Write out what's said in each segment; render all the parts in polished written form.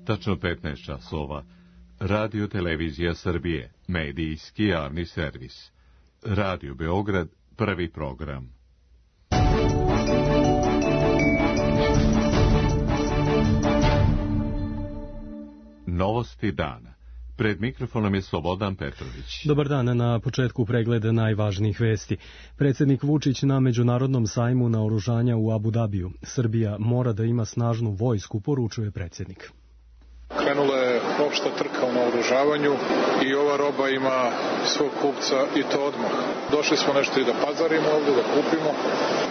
Tačno 15 časova. Radio Televizija Srbije, medijski javni servis. Radio Beograd, prvi program. Novosti dana. Pred mikrofonom je Slobodan Petrović. Dobar dan, na početku pregleda najvažnijih vesti. Predsjednik Vučić na Međunarodnom sajmu naoružanja u Abu Dabiju. Srbija mora da ima snažnu vojsku, poručuje predsjednik. Krenula je opšta trka u naoružavanju i ova roba ima svog kupca i to odmah. Došli smo nešto i da pazarimo ovdje, da kupimo,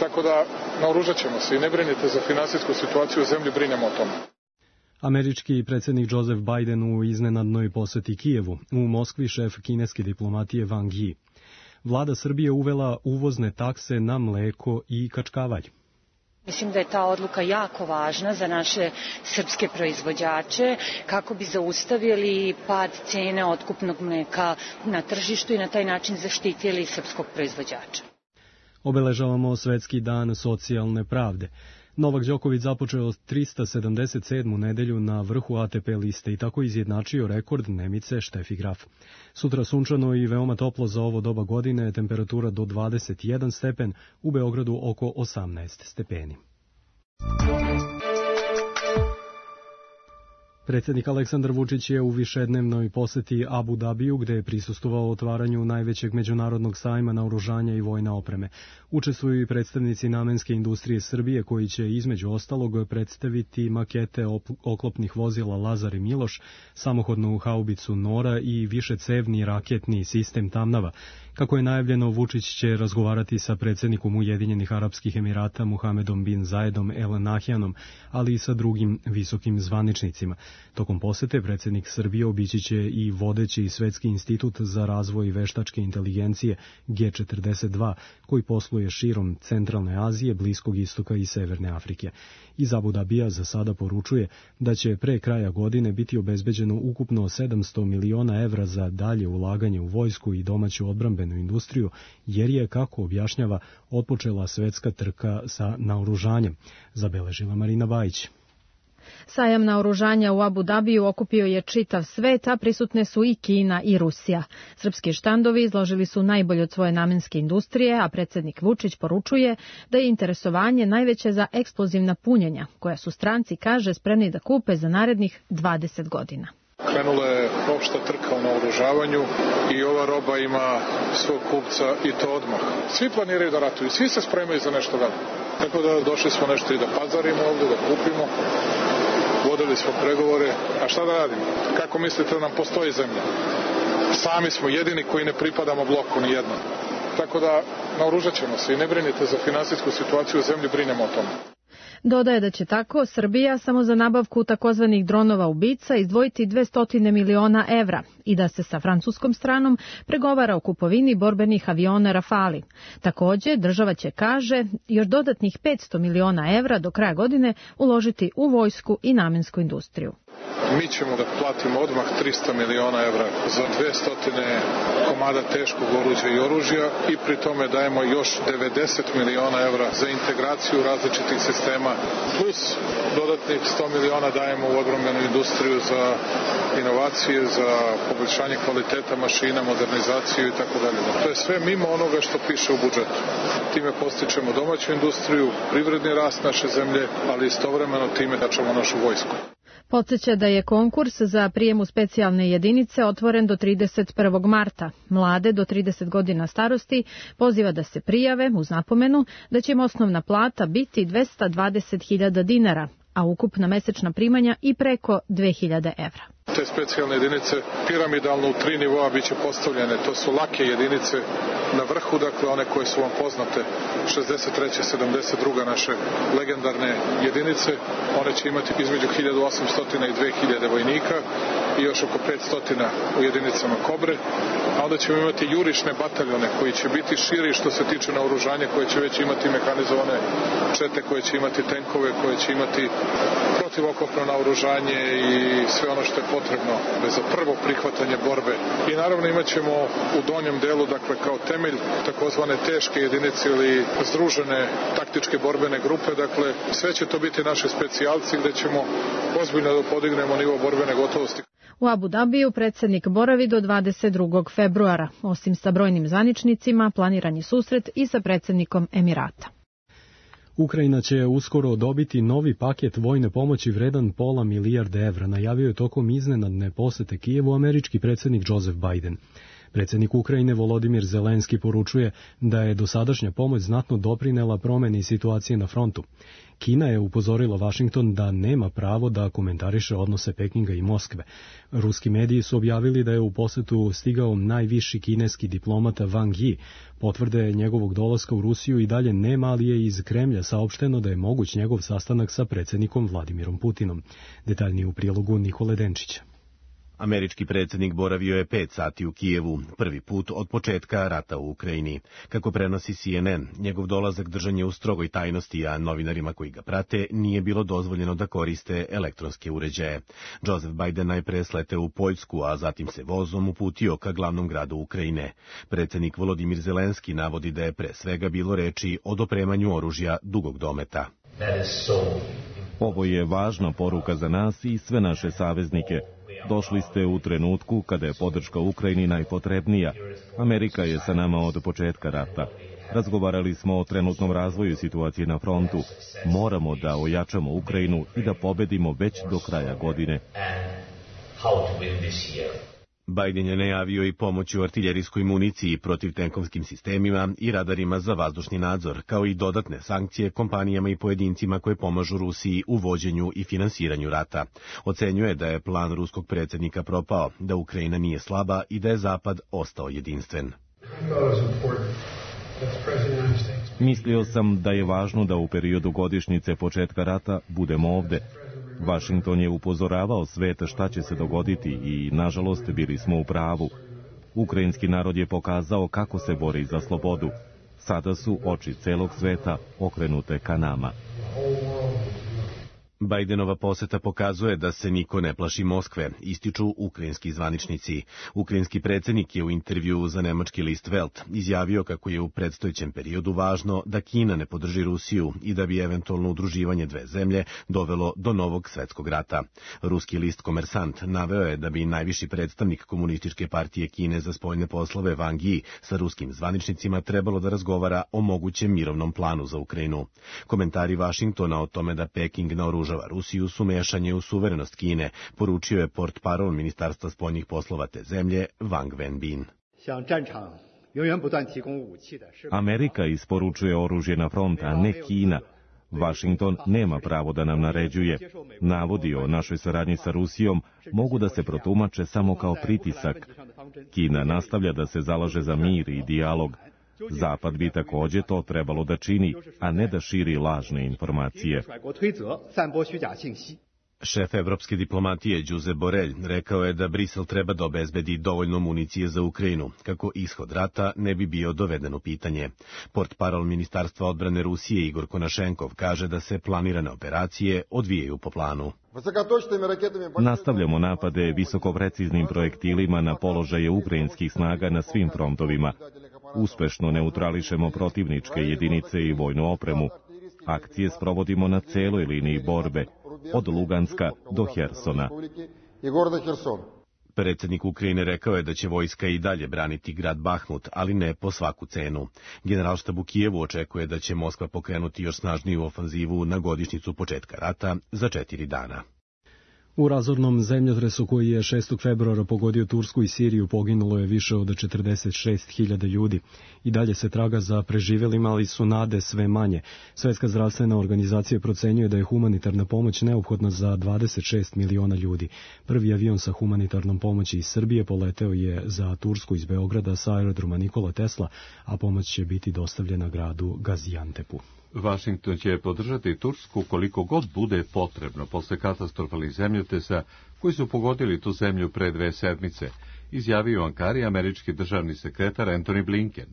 tako da naoružat ćemo se i ne brinite za finansijsku situaciju u zemlji, brinemo o tome. Američki predsjednik Joseph Biden u iznenadnoj posjeti Kijevu, u Moskvi šef kineske diplomatije Wang Yi. Vlada Srbije uvela uvozne takse na mleko i kačkavalj. Mislim da je ta odluka jako važna za naše srpske proizvođače kako bi zaustavili pad cene otkupnog mleka na tržištu i na taj način zaštitili srpskog proizvođača. Obeležavamo Svetski dan socijalne pravde. Novak Đoković započeo 377. nedelju na vrhu ATP liste i tako izjednačio rekord Nemice Štefi Graf. Sutra sunčano i veoma toplo za ovo doba godine, temperatura do 21 stepen, u Beogradu oko 18 stepeni. Predsjednik Aleksandar Vučić je u višednevnoj posjeti Abu Dabiju, gde je prisustvovao otvaranju najvećeg međunarodnog sajma naoružanja i vojne opreme. Učestvuju i predstavnici namenske industrije Srbije, koji će između ostalog predstaviti makete oklopnih vozila Lazar i Miloš, samohodnu haubicu Nora i višecevni raketni sistem Tamnava. Kako je najavljeno, Vučić će razgovarati sa predsjednikom Ujedinjenih Arapskih Emirata Muhamedom bin Zayedom El Nahjanom, ali i sa drugim visokim zvaničnicima. Tokom posete predsjednik Srbije obići će i vodeći Svetski institut za razvoj veštačke inteligencije G42, koji posluje širom Centralne Azije, Bliskog istoka i Severne Afrike. Iz Abu Dabija za sada poručuje da će pre kraja godine biti obezbeđeno ukupno 700 miliona evra za dalje ulaganje u vojsku i domaću odbrambenu industriju, jer je, kako objašnjava, otpočela svetska trka sa naoružanjem, zabeležila Marina Bajić. Sajam naoružanja u Abu Dabiju okupio je čitav svet, a prisutne su i Kina i Rusija. Srpski štandovi izložili su najbolje od svoje namenske industrije, a predsjednik Vučić poručuje da je interesovanje najveće za eksplozivna punjenja, koja su stranci, kaže, spremni da kupe za narednih 20 godina. Krenula je opšta trka u naoružavanju i ova roba ima svog kupca i to odmah. Svi planiraju da ratuju, svi se spremaju za nešto veliko. Tako da došli smo nešto i da pazarimo ovdje, da kupimo. Vodili smo pregovore, a šta da radimo? Kako mislite da nam postoji zemlja? Sami smo jedini koji ne pripadamo bloku ni jednom. Tako da naoružat ćemo se i ne brinite za finansijsku situaciju u zemlji, brinemo o tome. Dodaje da će tako Srbija samo za nabavku takozvanih dronova ubica izdvojiti 200 miliona evra i da se sa francuskom stranom pregovara o kupovini borbenih aviona Rafali. Također, država će, kaže, još dodatnih 500 miliona evra do kraja godine uložiti u vojsku i namensku industriju. Mi ćemo da platimo odmah 300 miliona evra za 200 komada teškog oruđa i oružja i pri tome dajemo još 90 miliona evra za integraciju različitih sistema, plus dodatnih 100 miliona dajemo u odbrambenu industriju za inovacije, za poboljšanje kvaliteta mašina, modernizaciju i tako dalje. To je sve mimo onoga što piše u budžetu. Time postičemo domaću industriju, privredni rast naše zemlje, ali istovremeno time jačamo našu vojsku. Podsjeća da je konkurs za prijem u specijalne jedinice otvoren do 31. marta. Mlade do 30 godina starosti poziva da se prijave uz napomenu da će im osnovna plata biti 220.000 dinara, a ukupna mesečna primanja i preko 2.000 evra. Te specijalne jedinice piramidalno u 3 nivoa biće postavljene. To su lake jedinice na vrhu, dakle one koje su vam poznate, 63. 72. naše legendarne jedinice. One će imati između 1800 i 2000 vojnika i još oko 500 u jedinicama Kobre, a onda ćemo imati jurišne bataljone koji će biti širi što se tiče naoružanja, koje će već imati mehanizovane čete, koje će imati tenkove, koje će imati protivokopno naoružanje i sve ono što je potrebno za prvo prihvatanje borbe. I naravno imat ćemo u donjem delu, dakle kao temelj, takozvane teške jedinice ili združene taktičke borbene grupe, dakle sve će to biti naši specijalci gde ćemo ozbiljno da podignemo nivo borbene gotovosti. U Abu Dabiju predsjednik boravi do 22. februara. Osim sa brojnim zvaničnicima, planiran je susret i sa predsjednikom Emirata. Ukrajina će uskoro dobiti novi paket vojne pomoći vredan £500 milijarde, najavio je tokom iznenadne posete Kijevu američki predsjednik Joseph Biden. Predsjednik Ukrajine Volodimir Zelenski poručuje da je dosadašnja pomoć znatno doprinela promjeni situacije na frontu. Kina je upozorila Washington da nema pravo da komentariše odnose Pekinga i Moskve. Ruski mediji su objavili da je u posetu stigao najviši kineski diplomata Wang Yi. Potvrde njegovog dolaska u Rusiju i dalje nema, ali je iz Kremlja saopšteno da je moguć njegov sastanak sa predsjednikom Vladimirom Putinom. Detaljnije u prilogu Nikole Denčića. Američki predsjednik boravio je 5 sati u Kijevu, prvi put od početka rata u Ukrajini. Kako prenosi CNN, njegov dolazak držan je u strogoj tajnosti, a novinarima koji ga prate nije bilo dozvoljeno da koriste elektronske uređaje. Joseph Biden najpre sleteo u Poljsku, a zatim se vozom uputio ka glavnom gradu Ukrajine. Predsjednik Volodimir Zelenski navodi da je pre svega bilo reči o dopremanju oružja dugog dometa. Ovo je važna poruka za nas i sve naše saveznike. Došli ste u trenutku kada je podrška Ukrajini najpotrebnija. Amerika je sa nama od početka rata. Razgovarali smo o trenutnom razvoju situacije na frontu. Moramo da ojačamo Ukrajinu i da pobedimo već do kraja godine. Biden je najavio i pomoć u artiljerijskoj municiji, protivtenkovskim sistemima i radarima za vazdušni nadzor, kao i dodatne sankcije kompanijama i pojedincima koje pomažu Rusiji u vođenju i finansiranju rata. Ocenjuje da je plan ruskog predsjednika propao, da Ukrajina nije slaba i da je Zapad ostao jedinstven. Mislio sam da je važno da u periodu godišnjice početka rata budemo ovde. Washington je upozoravao svet šta će se dogoditi i, nažalost, bili smo u pravu. Ukrajinski narod je pokazao kako se bori za slobodu. Sada su oči celog sveta okrenute ka nama. Bidenova poseta pokazuje da se niko ne plaši Moskve, ističu ukrajinski zvaničnici. Ukrajinski predsjednik je u intervjuu za nemački list Welt izjavio kako je u predstojećem periodu važno da Kina ne podrži Rusiju i da bi eventualno udruživanje dve zemlje dovelo do novog svetskog rata. Ruski list Komersant naveo je da bi najviši predstavnik Komunističke partije Kine za spoljne poslove Wang Yi sa ruskim zvaničnicima trebalo da razgovara o mogućem mirovnom planu za Ukrajinu. Komentari Washingtona o tome da Peking naoružava Rusiju su mešanje u suverenost Kine, poručio je portparol Ministarstva spoljnih poslova te zemlje Wang Wenbin. Amerika isporučuje oružje na front, a ne Kina. Washington nema pravo da nam naređuje. Navodi o našoj saradnji sa Rusijom mogu da se protumače samo kao pritisak. Kina nastavlja da se zalaže za mir i dijalog. Zapad bi također to trebalo da čini, a ne da širi lažne informacije. Šef evropske diplomatije Josep Borrell rekao je da Brisel treba da obezbedi dovoljno municije za Ukrajinu, kako ishod rata ne bi bio doveden u pitanje. Portparol Ministarstva odbrane Rusije Igor Konašenkov kaže da se planirane operacije odvijaju po planu. Nastavljamo napade visokopreciznim projektilima na položaje ukrajinskih snaga na svim frontovima. Uspešno neutrališemo protivničke jedinice i vojnu opremu. Akcije sprovodimo na celoj liniji borbe, od Luganska do Hersona. Predsjednik Ukrajine rekao je da će vojska i dalje braniti grad Bahmut, ali ne po svaku cenu. Generalštab u Kijevu očekuje da će Moskva pokrenuti još snažniju ofanzivu na godišnjicu početka rata za 4 dana. U razornom zemljotresu koji je 6. februara pogodio Tursku i Siriju poginulo je više od 46.000 ljudi. I dalje se traga za preživjelima, ali su nade sve manje. Svjetska zdravstvena organizacija procenjuje da je humanitarna pomoć neophodna za 26 miliona ljudi. Prvi avion sa humanitarnom pomoći iz Srbije poleteo je za Tursku iz Beograda sa aerodroma Nikola Tesla, a pomoć će biti dostavljena gradu Gaziantepu. Vašington će podržati Tursku koliko god bude potrebno posle katastrofalnih zemljotresa koji su pogodili tu zemlju pre 2 sedmice, izjavio u Ankari američki državni sekretar Antony Blinken.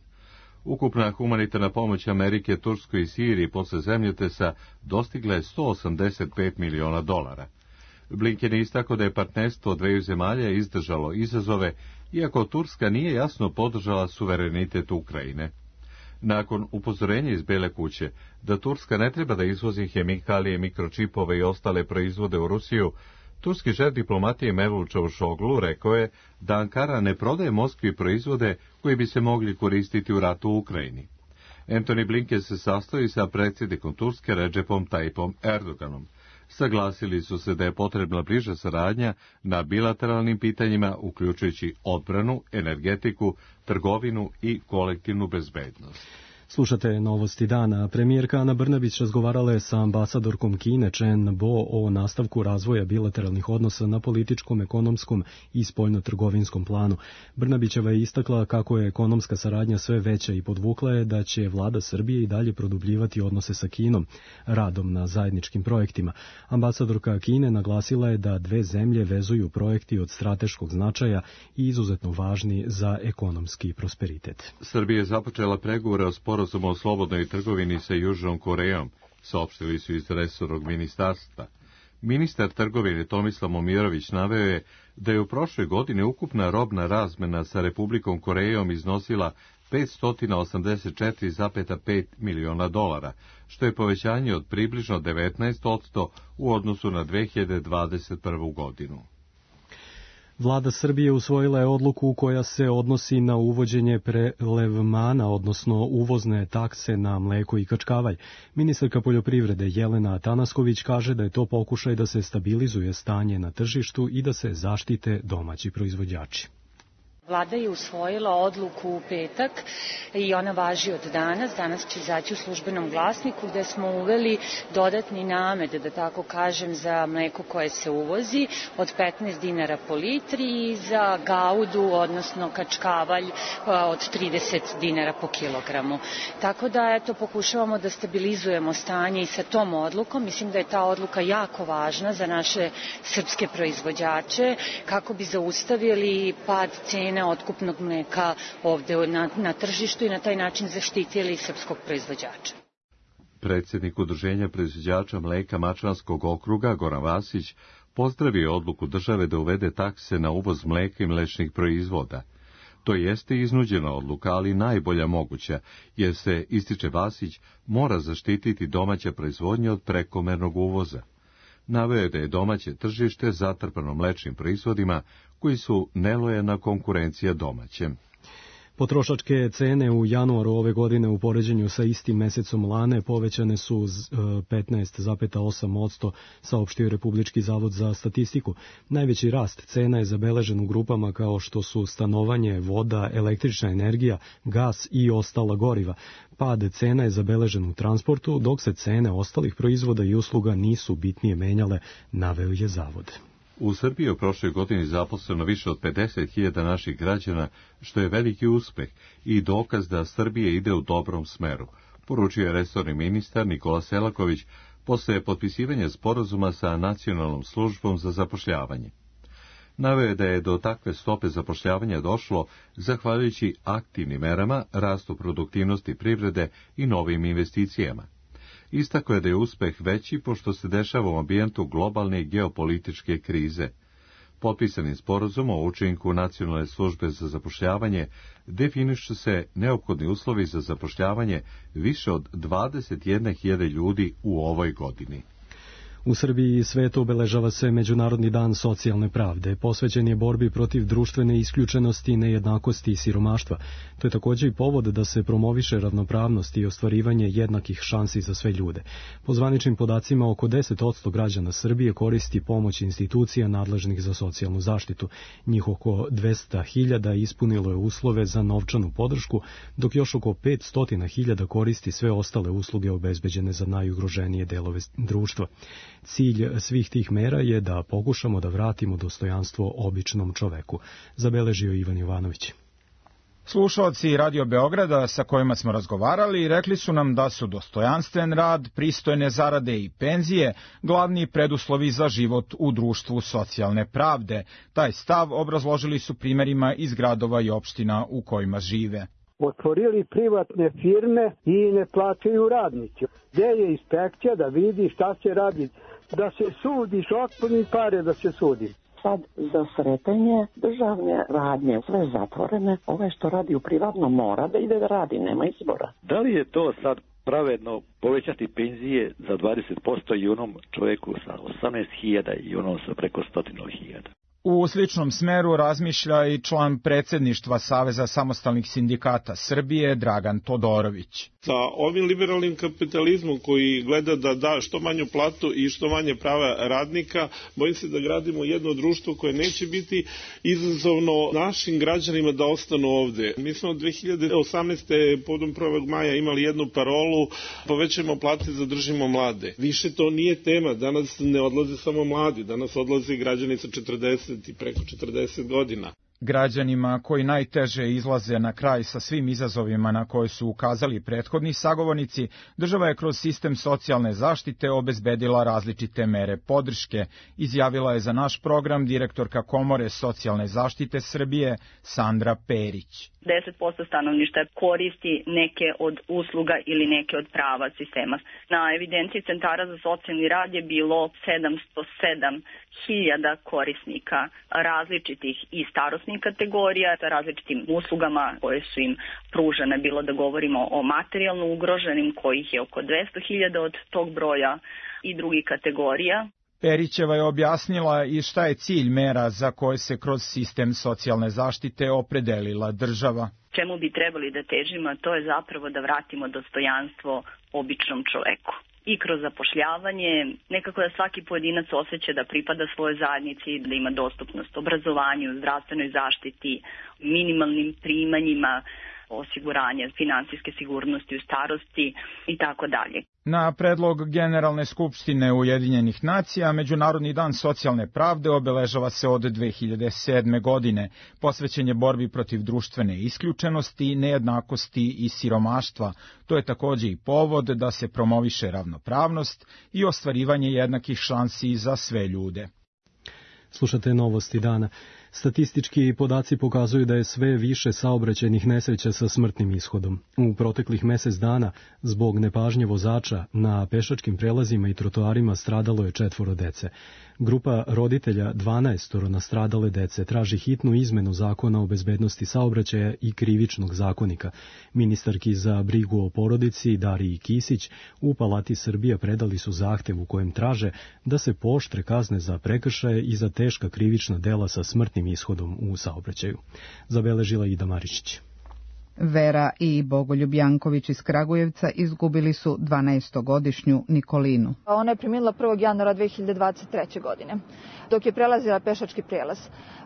Ukupna humanitarna pomoć Amerike, Turskoj i Siriji posle zemljotresa dostigla je $185 miliona. Blinken je istakao da je partnerstvo dveju zemalja izdržalo izazove, iako Turska nije jasno podržala suverenitet Ukrajine. Nakon upozorenja iz Bele kuće da Turska ne treba da izvozi hemikalije, mikročipove i ostale proizvode u Rusiju, turski šef diplomatije Mevlut Čavuşoglu rekao je da Ankara ne prodaje Moskvi proizvode koji bi se mogli koristiti u ratu u Ukrajini. Antony Blinken se sastoji sa predsjednikom Turske Recepom Tayyipom Erdoganom. Saglasili su se da je potrebna bliža saradnja na bilateralnim pitanjima, uključujući odbranu, energetiku, trgovinu i kolektivnu bezbednost. Slušate Novosti dana. Premijerka Ana Brnabić razgovarala je sa ambasadorkom Kine Chen Bo o nastavku razvoja bilateralnih odnosa na političkom, ekonomskom i spoljno-trgovinskom planu. Brnabićeva je istakla kako je ekonomska saradnja sve veća i podvukla je da će vlada Srbije i dalje produbljivati odnose sa Kinom, radom na zajedničkim projektima. Ambasadorka Kine naglasila je da dve zemlje vezuju projekti od strateškog značaja i izuzetno važni za ekonomski prosperitet. Srbija je započela pregovore o sporazumu o slobodnoj trgovini sa Južnom Korejom, saopštili su iz resornog ministarstva. Ministar trgovine Tomislav Momirović naveo je da je u prošloj godini ukupna robna razmena sa Republikom Korejom iznosila $584,5 miliona, što je povećanje od približno 19% u odnosu na 2021. godinu. Vlada Srbije usvojila je odluku koja se odnosi na uvođenje prelevmana, odnosno uvozne takse na mleko i kačkavalj. Ministarka poljoprivrede Jelena Atanasković kaže da je to pokušaj da se stabilizuje stanje na tržištu i da se zaštite domaći proizvođači. Vlada je usvojila odluku u petak i ona važi od danas. Danas će izaći u službenom glasniku gde smo uveli dodatni namet, da tako kažem, za mleko koje se uvozi od 15 dinara po litri i za gaudu, odnosno kačkavalj od 30 dinara po kilogramu. Tako da, eto, pokušavamo da stabilizujemo stanje i sa tom odlukom. Mislim da je ta odluka jako važna za naše srpske proizvođače kako bi zaustavili pad cena otkupnog mleka ovde na tržištu i na taj način zaštitili srpskog proizvođača. Predsjednik Udruženja proizvođača mleka Mačvanskog okruga Goran Vasić pozdravio odluku države da uvede takse na uvoz mleka i mlečnih proizvoda. To jeste iznuđena odluka, ali najbolja moguća, jer se, ističe Vasić, mora zaštititi domaća proizvodnja od prekomernog uvoza. Naveo je da je domaće tržište zatrpano mlečnim proizvodima koji su nelojalna konkurencija domaćem. Potrošačke cene u januaru ove godine u poređenju sa istim mesecom lane povećane su 15,8%, saopštio Republički zavod za statistiku. Najveći rast cena je zabeležen u grupama kao što su stanovanje, voda, električna energija, gas i ostala goriva. Pad cena je zabeležen u transportu, dok se cene ostalih proizvoda i usluga nisu bitnije menjale, naveo je zavod. U Srbiji je u prošloj godini zaposleno više od 50.000 naših građana, što je veliki uspeh i dokaz da Srbija ide u dobrom smeru, poručio je resorni ministar Nikola Selaković posle potpisivanja sporazuma sa Nacionalnom službom za zapošljavanje. Naveo je da je do takve stope zapošljavanja došlo zahvaljujući aktivnim merama, rastu produktivnosti privrede i novim investicijama. Istakao je da je uspeh veći pošto se dešava u ambijentu globalne geopolitičke krize. Potpisanim sporazumom o učinku Nacionalne službe za zapošljavanje definišu se neophodni uslovi za zapošljavanje više od 21.000 ljudi u ovoj godini. U Srbiji i svetu obeležava se Međunarodni dan socijalne pravde. Posvećen je borbi protiv društvene isključenosti, nejednakosti i siromaštva. To je također i povod da se promoviše ravnopravnost i ostvarivanje jednakih šansi za sve ljude. Po zvaničnim podacima, oko 10% građana Srbije koristi pomoć institucija nadležnih za socijalnu zaštitu. Njih oko 200.000 ispunilo je uslove za novčanu podršku, dok još oko 500.000 koristi sve ostale usluge obezbeđene za najugroženije delove društva. Cilj svih tih mera je da pokušamo da vratimo dostojanstvo običnom čoveku, zabeležio Ivan Jovanović. Slušaoci Radio Beograda sa kojima smo razgovarali rekli su nam da su dostojanstven rad, pristojne zarade i penzije glavni preduslovi za život u društvu socijalne pravde. Taj stav obrazložili su primjerima iz gradova i opština u kojima žive. Otvorili privatne firme i ne plaćaju radnici. Gde je inspekcija da vidi šta se radi? Da se sudi, otpuni pare da se sudi. Sad za sretanje državne radnje, sve zatvorene, što radi u privatnom mora da ide da radi, nema izbora. Da li je to sad pravedno povećati penzije za 20% i onom čovjeku sa 18.000 i onom sa preko 100.000? U sličnom smeru razmišlja i član predsjedništva Saveza samostalnih sindikata Srbije Dragan Todorović. Sa ovim liberalnim kapitalizmom koji gleda da da što manju platu i što manje prava radnika, bojim se da gradimo jedno društvo koje neće biti izazovno našim građanima da ostanu ovde. Mi smo 2018. povodom 1. maja imali jednu parolu: povećajmo plate, zadržimo mlade. Više to nije tema, danas ne odlaze samo mladi, danas odlaze građani sa 40 i preko 40 godina. Građanima koji najteže izlaze na kraj sa svim izazovima na koje su ukazali prethodni sagovornici, država je kroz sistem socijalne zaštite obezbedila različite mere podrške, izjavila je za naš program direktorka Komore socijalne zaštite Srbije Sandra Perić. 10% stanovništva koristi neke od usluga ili neke od prava sistema. Na evidenciji centara za socijalni rad je bilo 707.000 korisnika različitih i starosnih kategorija sa različitim uslugama koje su im pružene, bilo da govorimo o materijalno ugroženim, kojih je oko 200.000 od tog broja, i drugih kategorija. Perićeva je objasnila i šta je cilj mera za koje se kroz sistem socijalne zaštite opredelila država. Čemu bi trebali da težimo, to je zapravo da vratimo dostojanstvo običnom čoveku. I kroz zapošljavanje, nekako da svaki pojedinac osjeća da pripada svojoj zajednici, da ima dostupnost obrazovanju, zdravstvenoj zaštiti, minimalnim primanjima, osiguranje finansijske sigurnosti u starosti i tako dalje. Na predlog Generalne skupštine Ujedinjenih nacija, Međunarodni dan socijalne pravde obeležava se od 2007. godine. Posvećen je borbi protiv društvene isključenosti, nejednakosti i siromaštva. To je takođe i povod da se promoviše ravnopravnost i ostvarivanje jednakih šansi za sve ljude. Slušate Novosti dana. Statistički podaci pokazuju da je sve više saobraćajnih nesreća sa smrtnim ishodom. U proteklih mesec dana, zbog nepažnje vozača, na pešačkim prelazima i trotoarima stradalo je 4 dece. Grupa roditelja 12 nastradale dece traži hitnu izmenu zakona o bezbednosti saobraćaja i krivičnog zakonika. Ministarki za brigu o porodici Dariji Kisić u Palati Srbija predali su zahtev u kojem traže da se pooštre kazne za prekršaje i za teška krivična dela sa smrtnim ishodom u saobraćaju. Zabeležila Ida Maričić. Vera i Bogoljub Janković iz Kragujevca izgubili su 12-godišnju Nikolinu. Ona je preminula 1. januara 2023. godine, dok je prelazila pešački prijelaz.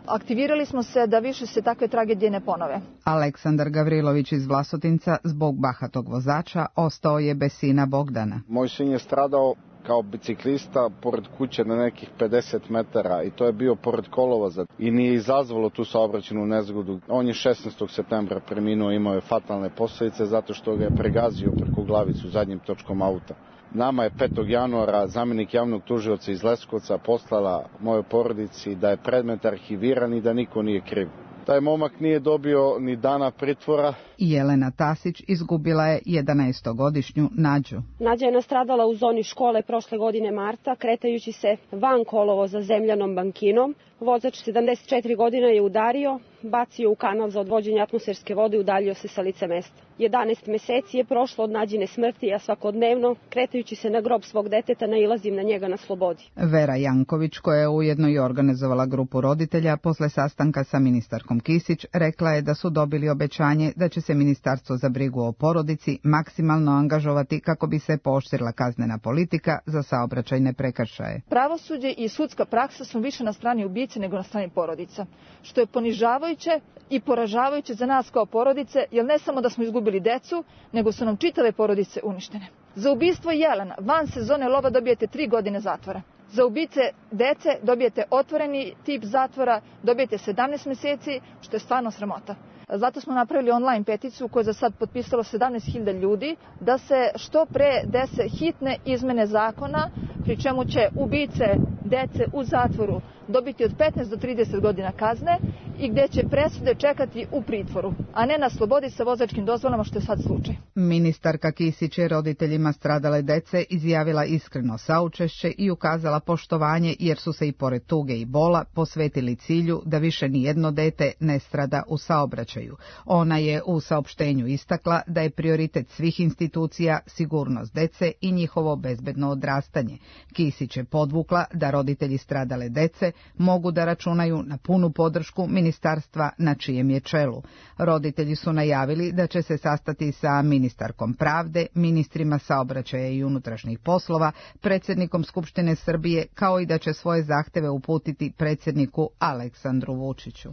Aktivirali smo se da više se takve tragedije ne ponove. Aleksandar Gavrilović iz Vlasotinca zbog bahatog vozača ostao je bez sina Bogdana. Moj sin je stradao kao biciklista pored kuće na nekih 50 metara i to je bio pored kolovoza i nije izazvalo tu saobraćajnu nezgodu. On je 16. septembra preminuo, imao je fatalne posljedice zato što ga je pregazio preko glavicu zadnjim točkom auta. Nama je 5. januara zamjenik javnog tužioca iz Leskovca poslala mojoj porodici da je predmet arhiviran i da niko nije kriv. Taj momak nije dobio ni dana pritvora. Jelena Tasić izgubila je 11-godišnju Nađu. Nađa je nastradala u zoni škole prošle godine marta, kretajući se van kolovoza zemljanom bankinom. Vozač 74 godina je udario, bacio u kanal za odvođenje atmosferske vode i udaljio se sa lice mesta. 11 meseci je prošlo od Nađine smrti, a svakodnevno, kretajući se na grob svog deteta, nailazim na njega na slobodi. Vera Janković, koja je ujedno i organizovala grupu roditelja, posle sastanka sa ministarkom Kisić, rekla je da su dobili obećanje da će se Ministarstvo za brigu o porodici maksimalno angažovati kako bi se pooštrila kaznena politika za saobraćajne prekršaje. Pravosuđe i sudska praksa su više na strani ubice nego na strani porodica, što je ponižavajuće i poražavajuće za nas kao porodice, jer ne samo da smo izgubili decu, nego su nam čitave porodice uništene. Za ubistvo jelena van sezone lova dobijete 3 godine zatvora. Za ubice dece dobijete otvoreni tip zatvora, dobijete 17 meseci, što je stvarno sramota. Zato smo napravili online peticiju koju je za sad potpisalo 17.000 ljudi da se što pre dese hitne izmene zakona, pri čemu će ubice dece u zatvoru dobiti od 15 do 30 godina kazne i gdje će presude čekati u pritvoru, a ne na slobodi sa vozačkim dozvolama, što je sad slučaj. Ministarka Kisić je roditeljima stradale dece izjavila iskreno saučešće i ukazala poštovanje jer su se i pored tuge i bola posvetili cilju da više nijedno dete ne strada u saobraćaju. Ona je u saopštenju istakla da je prioritet svih institucija sigurnost dece i njihovo bezbedno odrastanje. Kisić je podvukla da roditelji stradale dece mogu da računaju na punu podršku ministarstva na čijem je čelu. Roditelji su najavili da će se sastati sa ministarkom pravde, ministrima saobraćaja i unutrašnjih poslova, predsjednikom Skupštine Srbije, kao i da će svoje zahteve uputiti predsjedniku Aleksandru Vučiću.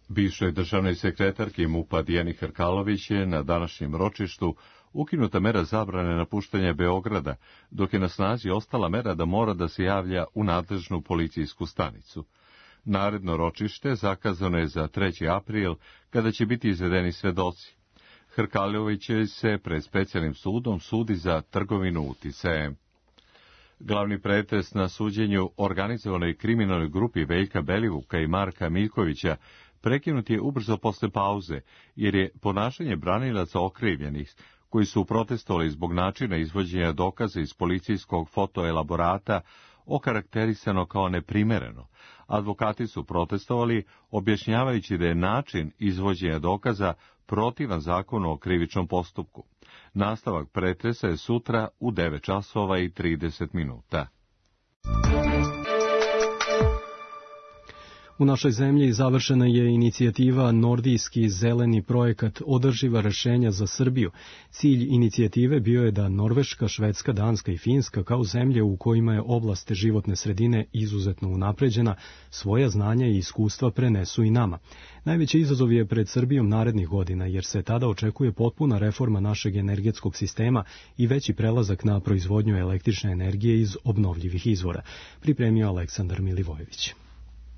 Bivšoj državnoj sekretarki MUP-a Dijani Hrkalović je na današnjem ročištu ukinuta mera zabrane napuštanja Beograda, dok je na snazi ostala mera da mora da se javlja u nadležnu policijsku stanicu. Naredno ročište zakazano je za 3. april, kada će biti izvedeni svedoci. Hrkalović se pred specijalnim sudom sudi za trgovinu uticajem. Glavni pretres na suđenju organizovanoj kriminalnoj grupi Veljka Belivuka i Marka Miljkovića prekinut je ubrzo posle pauze, jer je ponašanje branilaca okrivljenih, koji su protestovali zbog načina izvođenja dokaza iz policijskog fotoelaborata, okarakterisano kao neprimereno. Advokati su protestovali, objašnjavajući da je način izvođenja dokaza protivan zakonu o krivičnom postupku. Nastavak pretresa je sutra u 9:30. U našoj zemlji završena je inicijativa Nordijski zeleni projekat održiva rešenja za Srbiju. Cilj inicijative bio je da Norveška, Švedska, Danska i Finska, kao zemlje u kojima je oblast životne sredine izuzetno unapređena, svoja znanja i iskustva prenesu i nama. Najveći izazov je pred Srbijom narednih godina, jer se tada očekuje potpuna reforma našeg energetskog sistema i veći prelazak na proizvodnju električne energije iz obnovljivih izvora, pripremio Aleksandar Milivojević.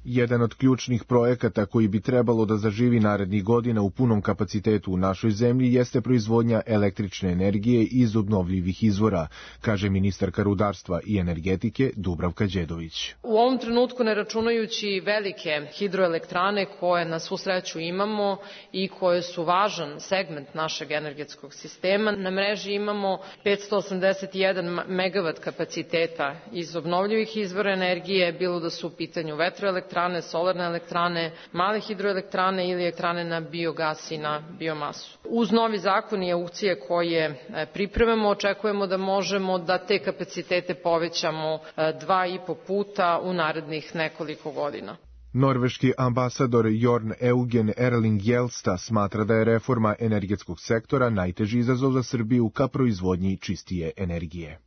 Jedan od ključnih projekata koji bi trebalo da zaživi narednih godina u punom kapacitetu u našoj zemlji jeste proizvodnja električne energije iz obnovljivih izvora, kaže ministarka rudarstva i energetike Dubravka Đedović. U ovom trenutku, ne računajući velike hidroelektrane koje na svu sreću imamo i koje su važan segment našeg energetskog sistema, na mreži imamo 581 megavat kapaciteta iz obnovljivih izvora energije, bilo da su u pitanju vetroelektrane, solarne elektrane, male hidroelektrane ili elektrane na biogas i na biomasu. Uz novi zakon i aukcije koje pripremamo, očekujemo da možemo da te kapacitete povećamo 2,5 puta u narednih nekoliko godina. Norveški ambasador Jorn Eugen Erling Jelsta smatra da je reforma energetskog sektora najteži izazov za Srbiju ka proizvodnji čistije energije.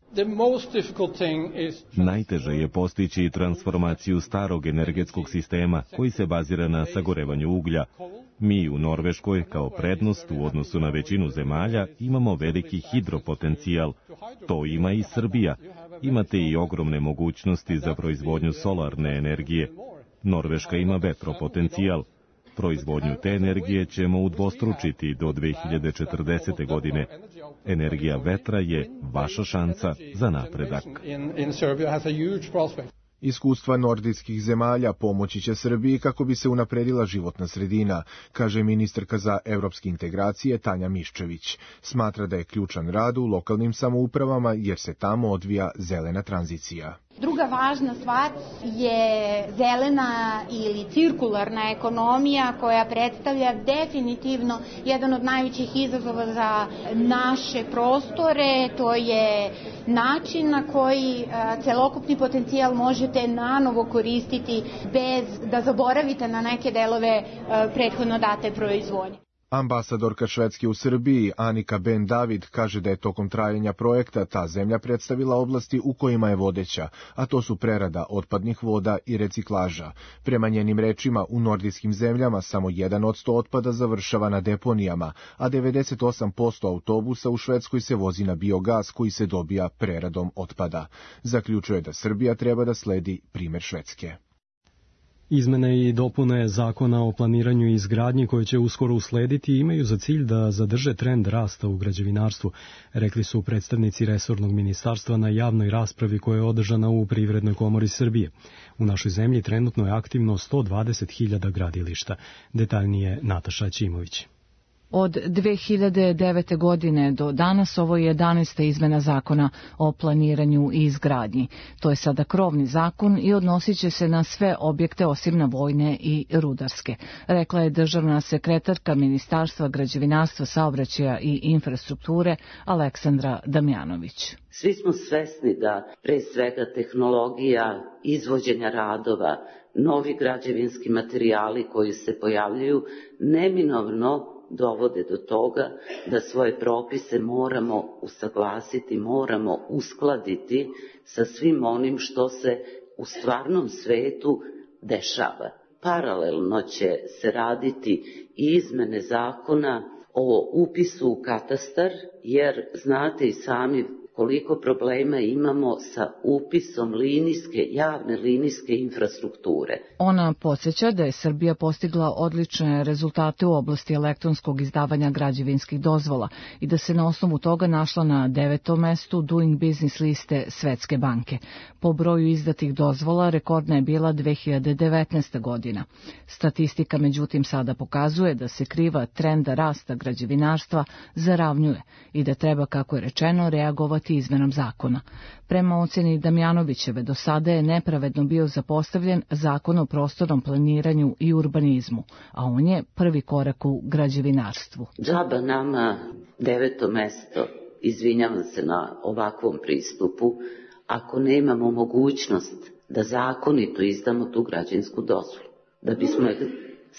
Najteže je postići transformaciju starog energetskog sistema koji se bazira na sagorevanju uglja. Mi u Norveškoj kao prednost u odnosu na većinu zemalja imamo veliki hidropotencijal. To ima i Srbija. Imate i ogromne mogućnosti za proizvodnju solarne energije. Norveška ima vetropotencijal. Proizvodnju te energije ćemo udvostručiti do 2040. godine. Energija vetra je vaša šansa za napredak. Iskustva nordijskih zemalja pomoći će Srbiji kako bi se unapredila životna sredina, kaže ministarka za evropske integracije Tanja Miščević. Smatra da je ključan rad u lokalnim samoupravama jer se tamo odvija zelena tranzicija. Druga važna stvar je zelena ili cirkularna ekonomija koja predstavlja definitivno jedan od najvećih izazova za naše prostore. To je način na koji celokupni potencijal možete nanovo koristiti bez da zaboravite na neke delove prethodno date proizvodnje. Ambasadorka Švedske u Srbiji, Anika Ben David, kaže da je tokom trajanja projekta ta zemlja predstavila oblasti u kojima je vodeća, a to su prerada otpadnih voda i reciklaža. Prema njenim rečima, u nordijskim zemljama samo 1% otpada završava na deponijama, a 98% autobusa u Švedskoj se vozi na biogas koji se dobija preradom otpada. Zaključuje da Srbija treba da sledi primer Švedske. Izmene i dopune Zakona o planiranju i izgradnji koje će uskoro uslediti imaju za cilj da zadrže trend rasta u građevinarstvu, rekli su predstavnici resornog ministarstva na javnoj raspravi koja je održana u Privrednoj komori Srbije. U našoj zemlji trenutno je aktivno 120.000 gradilišta. Detaljnije Nataša Ćimović. Od 2009. godine do danas ovo je 11. izmena zakona o planiranju i izgradnji. To je sada krovni zakon i odnosit će se na sve objekte osim na vojne i rudarske, rekla je državna sekretarka Ministarstva građevinarstva, saobraćaja i infrastrukture Aleksandra Damjanović. Svi smo svesni da pre svega tehnologija izvođenja radova, novi građevinski materijali koji se pojavljuju neminovno dovode do toga da svoje propise moramo usaglasiti, moramo uskladiti sa svim onim što se u stvarnom svetu dešava. Paralelno će se raditi i izmene zakona o upisu u katastar, jer znate i sami koliko problema imamo sa upisom javne linijske infrastrukture. Ona podsjeća da je Srbija postigla odlične rezultate u oblasti elektronskog izdavanja građevinskih dozvola i da se na osnovu toga našla na 9. mestu Doing Business liste Svetske banke. Po broju izdatih dozvola rekordna je bila 2019. godina. Statistika međutim sada pokazuje da se kriva trenda rasta građevinarstva zaravnjuje i da treba, kako je rečeno, reagovati izmenom zakona. Prema oceni Damjanovićeve, do sada je nepravedno bio zapostavljen Zakon o prostornom planiranju i urbanizmu, a on je prvi korak u građevinarstvu. Džaba nama 9. mesto, izvinjavam se na ovakvom pristupu, ako nemamo mogućnost da zakonito izdamo tu građevinsku dozvolu. Da bismo je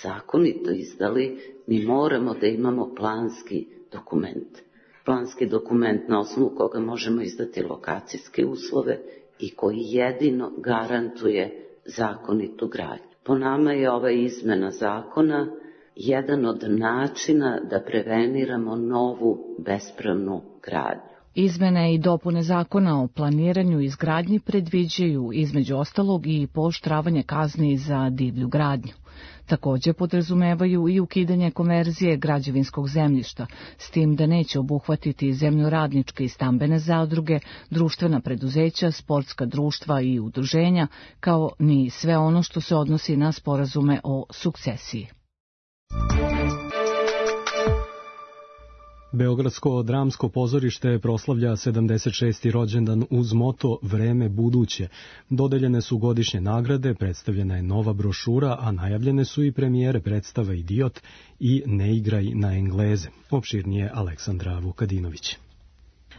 zakonito izdali, mi moramo da imamo planski dokument. Planski dokument na osnovu koga možemo izdati lokacijske uslove i koji jedino garantuje zakonitu gradnju. Po nama je ova izmena zakona jedan od načina da preveniramo novu bespravnu gradnju. Izmene i dopune zakona o planiranju i izgradnji predviđaju između ostalog i pooštravanje kazni za divlju gradnju. Također podrazumevaju i ukidanje konverzije građevinskog zemljišta, s tim da neće obuhvatiti zemljoradničke i stambene zadruge, društvena preduzeća, sportska društva i udruženja, kao ni sve ono što se odnosi na sporazume o sukcesiji. Beogradsko dramsko pozorište proslavlja 76. rođendan uz moto Vreme buduće. Dodeljene su godišnje nagrade, predstavljena je nova brošura, a najavljene su i premijere predstava Idiot i Ne igraj na Engleze. Opširnije Aleksandra Vukadinović.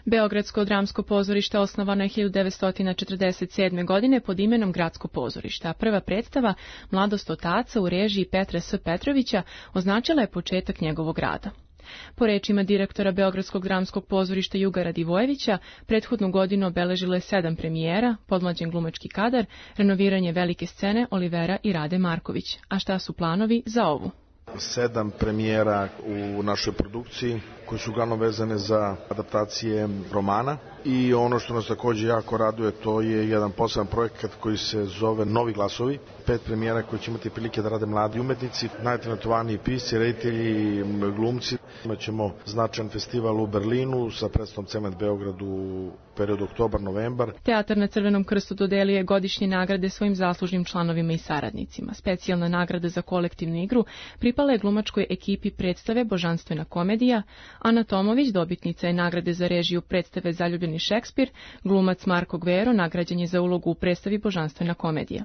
Beogradsko dramsko pozorište osnovano je 1947. godine pod imenom Gradsko pozorište, a prva predstava Mladost otaca u režiji Petra S. Petrovića označila je početak njegovog rada. Po rečima direktora Beogradskog dramskog pozorišta Juga Radivojevića, prethodnu godinu obeležilo je 7 premijera, podmlađen glumački kadar, renoviranje velike scene Olivera i Rade Marković. A šta su planovi za ovu? 7 premijera u našoj produkciji koje su uglavnom vezane za adaptacije romana i ono što nas također jako raduje, to je jedan poseban projekat koji se zove Novi glasovi. 5 premijera koje će imati prilike da rade mladi umetnici, najtalentovaniji pisci, reditelji, glumci. Imaćemo značajan festival u Berlinu sa predstavom Cement Beograd u periodu oktobar-novembar. Teatar na Crvenom krstu dodelio je godišnje nagrade svojim zaslužnim članovima i saradnicima. Specijalna nagrada za kolektivnu igru pripala je glumačkoj ekipi predstave Božanstvena komedija. Ana Tomović, dobitnica je nagrade za režiju predstave Zaljubljeni Šekspir, glumac Marko Gvero nagrađen je za ulogu u predstavi Božanstvena komedija.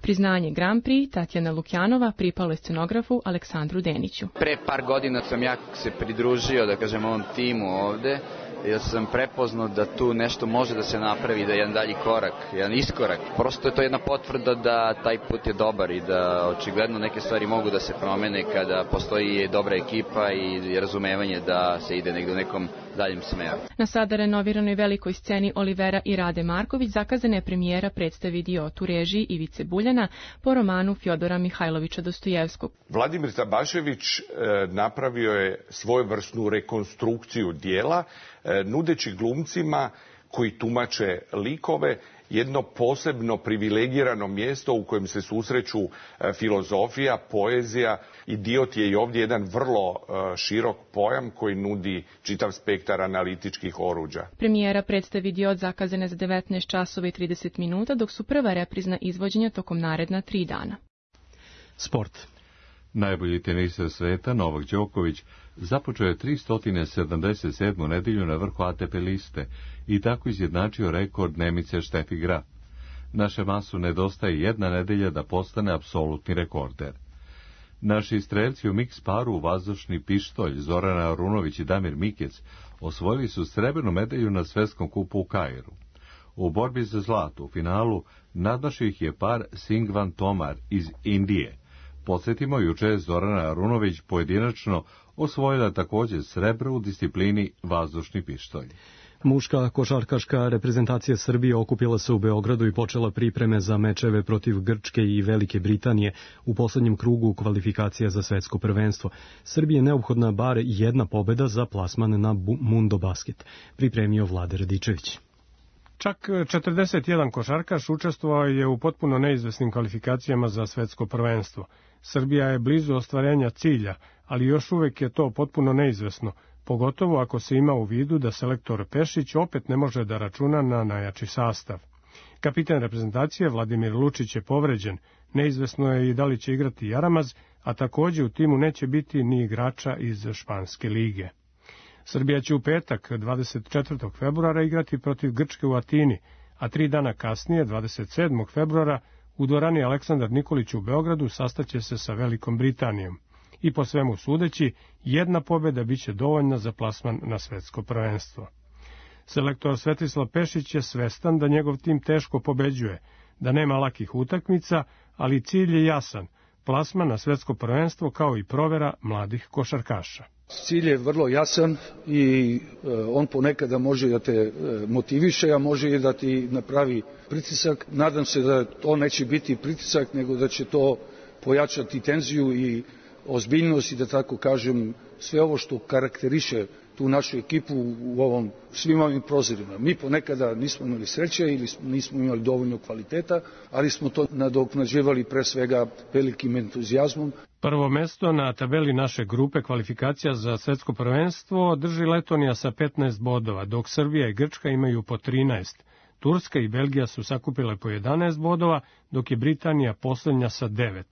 Priznanje Grand Prix Tatjana Lukjanova pripalo je scenografu Aleksandru Deniću. Pre par godina sam ja se pridružio, da kažem, ovom timu ovde, jer sam prepoznao da tu nešto može da se napravi, da je jedan dalji korak, jedan iskorak. Prosto je to jedna potvrda da taj put je dobar i da očigledno neke stvari mogu da se promene kada postoji dobra ekipa i razumevanje da se ide negdje u nekom daljem smeru. Na sada renoviranoj velikoj sceni Olivera i Rade Marković zakazana je premijera predstavi Idiot u režiji Ivice Buljana po romanu Fjodora Mihajlovića Dostojevskog. Vladimir Tabašević napravio je svojevrsnu rekonstrukciju dijela, nudeći glumcima koji tumače likove, jedno posebno privilegirano mjesto u kojem se susreću filozofija, poezija. Idiot je i ovdje jedan vrlo širok pojam koji nudi čitav spektar analitičkih oruđa. Premijera predstavi Idiot zakazane za 19 časova i 30 minuta, dok su prva reprizna izvođenja tokom naredna 3 dana. Sport. Najbolji teniser sveta, Novak Đoković, započeo je 377. nedelju na vrhu ATP liste i tako izjednačio rekord Nemice Štefi Graf. Naše masu nedostaje 1 nedelja da postane apsolutni rekorder. Naši strelci u miks paru vazdušni pištolj Zorana Arunović i Damir Mikec osvojili su srebrnu medalju na svetskom kupu u Kairu. U borbi za zlato u finalu nadmašio ih je par Singvan Tomar iz Indije. Podsjetimo, juče je Zorana Arunović pojedinačno osvojila također srebro u disciplini vazdušni pištolj. Muška košarkaška reprezentacija Srbije okupila se u Beogradu i počela pripreme za mečeve protiv Grčke i Velike Britanije u poslednjem krugu kvalifikacija za svetsko prvenstvo. Srbiji je neophodna bar 1 pobeda za plasman na Mundo Basket, pripremio Vlade Radičević. Čak 41 košarkaš učestvovao je u potpuno neizvesnim kvalifikacijama za svetsko prvenstvo. Srbija je blizu ostvarenja cilja, ali još uvek je to potpuno neizvesno, pogotovo ako se ima u vidu da selektor Pešić opet ne može da računa na najjači sastav. Kapitan reprezentacije Vladimir Lučić je povređen, neizvesno je i da li će igrati Jaramaz, a takođe u timu neće biti ni igrača iz Španske lige. Srbija će u petak, 24. februara, igrati protiv Grčke u Atini, a 3 dana kasnije, 27. februara, u dvorani Aleksandar Nikolić u Beogradu sastaće se sa Velikom Britanijom. I po svemu sudeći, 1 pobjeda biće dovoljna za plasman na svetsko prvenstvo. Selektor Svetislav Pešić je svestan da njegov tim teško pobeđuje, da nema lakih utakmica, ali cilj je jasan, plasman na svetsko prvenstvo kao i provera mladih košarkaša. Cilj je vrlo jasan i on ponekada može da te motiviše, a može i da ti napravi pritisak. Nadam se da to neće biti pritisak, nego da će to pojačati tenziju i ozbiljnost i da tako kažem sve ovo što karakteriše tu našu ekipu u svim ovim prozorima. Mi ponekada nismo imali sreće ili nismo imali dovoljno kvaliteta, ali smo to nadoknađivali pre svega velikim entuzijazmom. Prvo mesto na tabeli naše grupe kvalifikacija za svetsko prvenstvo drži Letonija sa 15 bodova, dok Srbija i Grčka imaju po 13. Turska i Belgija su sakupile po 11 bodova, dok je Britanija poslednja sa 9.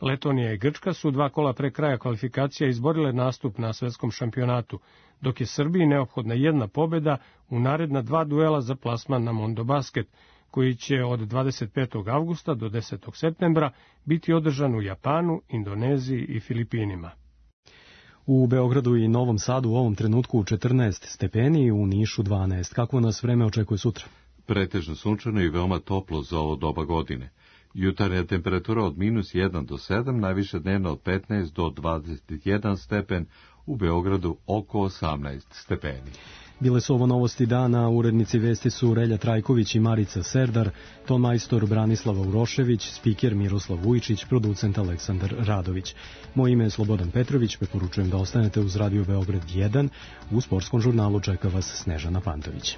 Letonija i Grčka su 2 kola pre kraja kvalifikacija izborile nastup na svetskom šampionatu, dok je Srbiji neophodna 1 pobjeda u naredna 2 duela za plasman na Mondo Basket, koji će od 25. avgusta do 10. septembra biti održan u Japanu, Indoneziji i Filipinima. U Beogradu i Novom Sadu u ovom trenutku 14 stepeni, u Nišu 12. Kako nas vreme očekuje sutra? Pretežno sunčano i veoma toplo za ovo doba godine. Jutarnja temperatura od -1 do 7, najviše dnevno od 15 do 21 stepen, u Beogradu oko 18 stepeni. Bile su ovo novosti dana, urednici vesti su Relja Trajković i Marica Serdar, ton majstor Branislava Urošević, spiker Miroslav Vujčić, producent Aleksandar Radović. Moje ime je Slobodan Petrović, preporučujem da ostanete uz Radio Beograd 1, u sportskom žurnalu čeka vas Snežana Pantović.